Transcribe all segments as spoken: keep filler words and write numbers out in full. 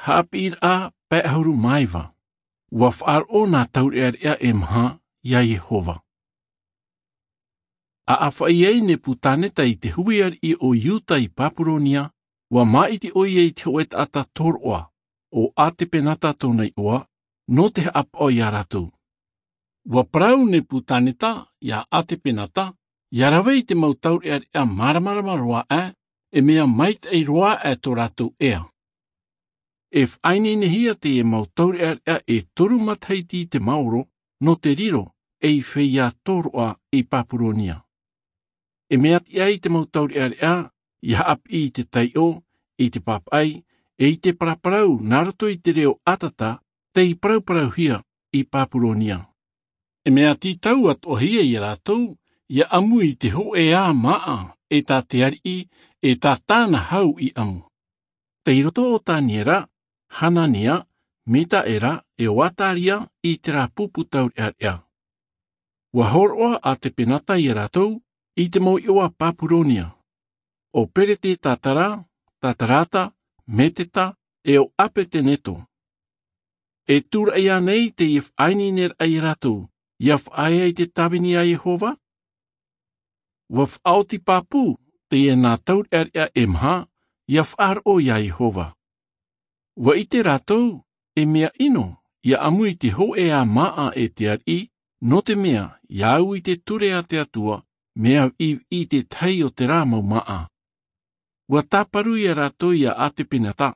Haʻapiʻiraʻa pae ʻahuru mā iva. Ua faʻaroʻo nā taureʻareʻa e maha iā iehova. A ʻāfaʻi ai nepukaneta i te hui ariʻi o iuta i papuronia, ua māʻiti ʻoia i te hoʻe taʻata tōroʻa, o atepenata tōna iʻoa, nō te haʻapaʻo iā rātou. Ua parau nepukaneta iā atepenata ia rave i te mau taureʻareʻa māramarama roa aʻe, e mea maitaʻi roa aʻe tō rātou ea. E faʻaineinehia teie mau taureʻareʻa e toru matahiti i te maoro, nō te riro ei feiā tōroʻa i papuronia. E mea tiʻa i te mau taureʻareʻa ia haʻapiʻi i te taiʻo, i te papaʻi, e i te paraparau nā roto i te reo ʻatata tei parauparauhia i papuronia. E mea tītau atoʻahia iā rātou ia ʻamu i te hoʻe ā māʻa e tā te ariʻi, e tā tāna hau i ʻamu. Tei roto o taniera, hanania, mikaela, e o azaria i terā pupu taureʻareʻa. Ua hōroʻa atepenata iā rātou i te mau iʻoa papuronia, o beretetatara, tatara, mekana, e o abedenego. E tūraʻi ānei teie faʻaineineraʻa iā rātou ia faʻaea i te tāvini a iehova? Ua faʻaoti pāpū teie nā taureʻareʻa e maha ia faʻaroʻo iā iehova. Ua ʻite rātou e mea ʻino ia ʻamu i te hoʻe ā māʻa e te ariʻi, nō te mea ia au i te ture a te atua, mea viʻiviʻi i te tahi o terā mau māʻa. Ua tāparu iā rātou iā atepenata,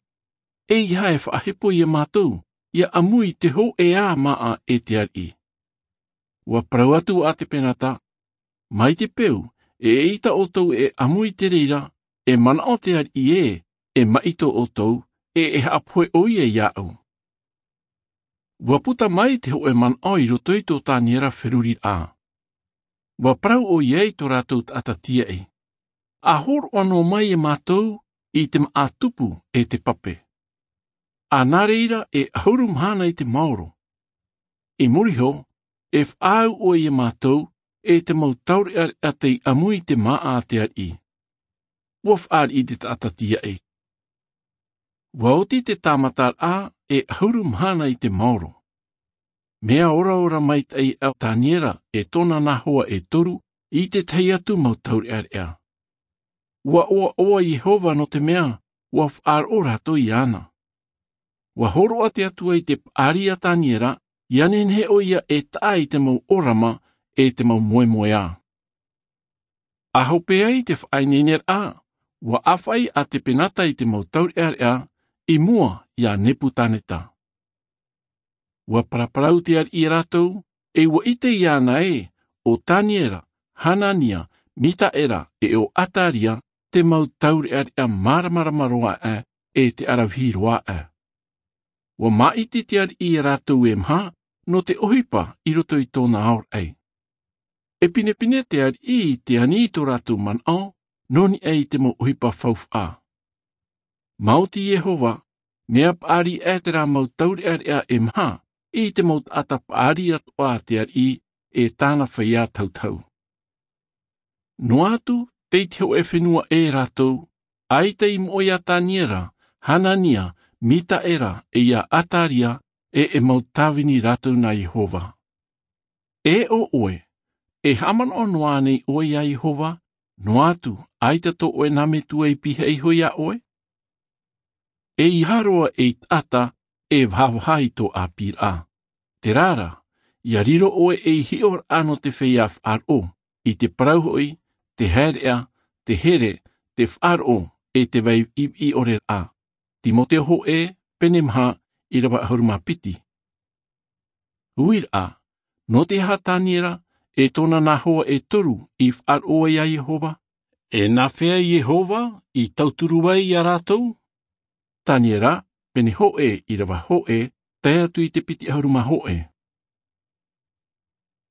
e ia e faʻahepo iā mātou ia ʻamu i te hoʻe ā māʻa e te ariʻi. Ua parau atu atepenata, mai te peu e ʻeita ʻoutou e ʻamu i te reira, e manaʻo te ariʻi ē e māʻiti ʻoutou, e e haʻapohe ʻoia iāʻu. Ua puta mai te hoʻe manaʻo i roto i tō taniera feruriraʻa. Ua parau ʻoia i tō rātou taʻata tiaʻi, a hōroʻa noa mai iā mātou i te māʻa tupu e te pape. A nā reira e ʻahuru mahana i te maoro. I muri iho, e faʻaau ʻoe iā mātou e te mau taureʻareʻa tei ʻamu i te māʻa a te ariʻi. Ua fāriʻi te taʻata tiaʻi. Ua oti te tāmataraʻa e ʻahuru mahana i te maoro. Mea oraora maitaʻi a taniera e tōna nā hoa e toru i te tahi atu mau taureʻareʻa. Ua ʻoaʻoa iehova nō te mea ua faʻaroʻo rātou iāna. Ua hōroʻa te atua i te paʻari a taniera ia nehenehe ʻoia e taʻa i te mau orama e te mau moemoeā. A hope ai te faʻaineineraʻa, ua ʻāfaʻi atepenata i te mau taureʻareʻa i mua iā nepukaneta. Ua paraparau te ariʻi iā rātou, e ua ʻite iāna ē o taniera, hanania, mikaela, e o azaria te mau taureʻareʻa māramarama roa aʻe e te aravihi roa aʻe. Ua māʻiti te ariʻi iā rātou e maha nō te ʻohipa i roto i tōna aoraʻi. E pinepine te ariʻi i te ani i tō rātou manaʻo nō niʻa i te mau ʻohipa faufaʻa. Maoti iehova, mea paʻari aʻe terā mau taureʻareʻa e maha i te mau taʻata paʻari atoʻa a te ariʻi e tāna feiā tautau. Noa atu tei te hoʻe fenua ʻē rātou, ʻaita i moʻe iā taniera, hanania, mikaela, e iā azaria, e e mau tāvini rātou nā iehova. E ʻo ʻoe, e haʻamanaʻo noa ānei ʻoe iā iehova, noa atu ʻaita tō ʻoe nā metua i pihaʻi iho iā ʻoe? E ia roa ei taʻata e vahavaha i tō ʻāpīraʻa. Terā rā, ia riro ʻoe ei hiʻoraʻa nō te feiā faʻaroʻo, i te parau hoʻi, te haereʻa, te here, te faʻaroʻo, e te vai viʻiviʻi ʻore raʻa. Timoteo hoʻē, pene maha, ʻīrava ʻahuru mā piti. Uiraʻa, nō te aha taniera e tōna nā hoa e toru i faʻaroʻo ai iā iehova? E nā hea iehova i tauturu ai iā rātou? Taniera, pene hoʻē, ʻīrava hoʻē, tae atu i te piti ʻahuru mā hoʻē.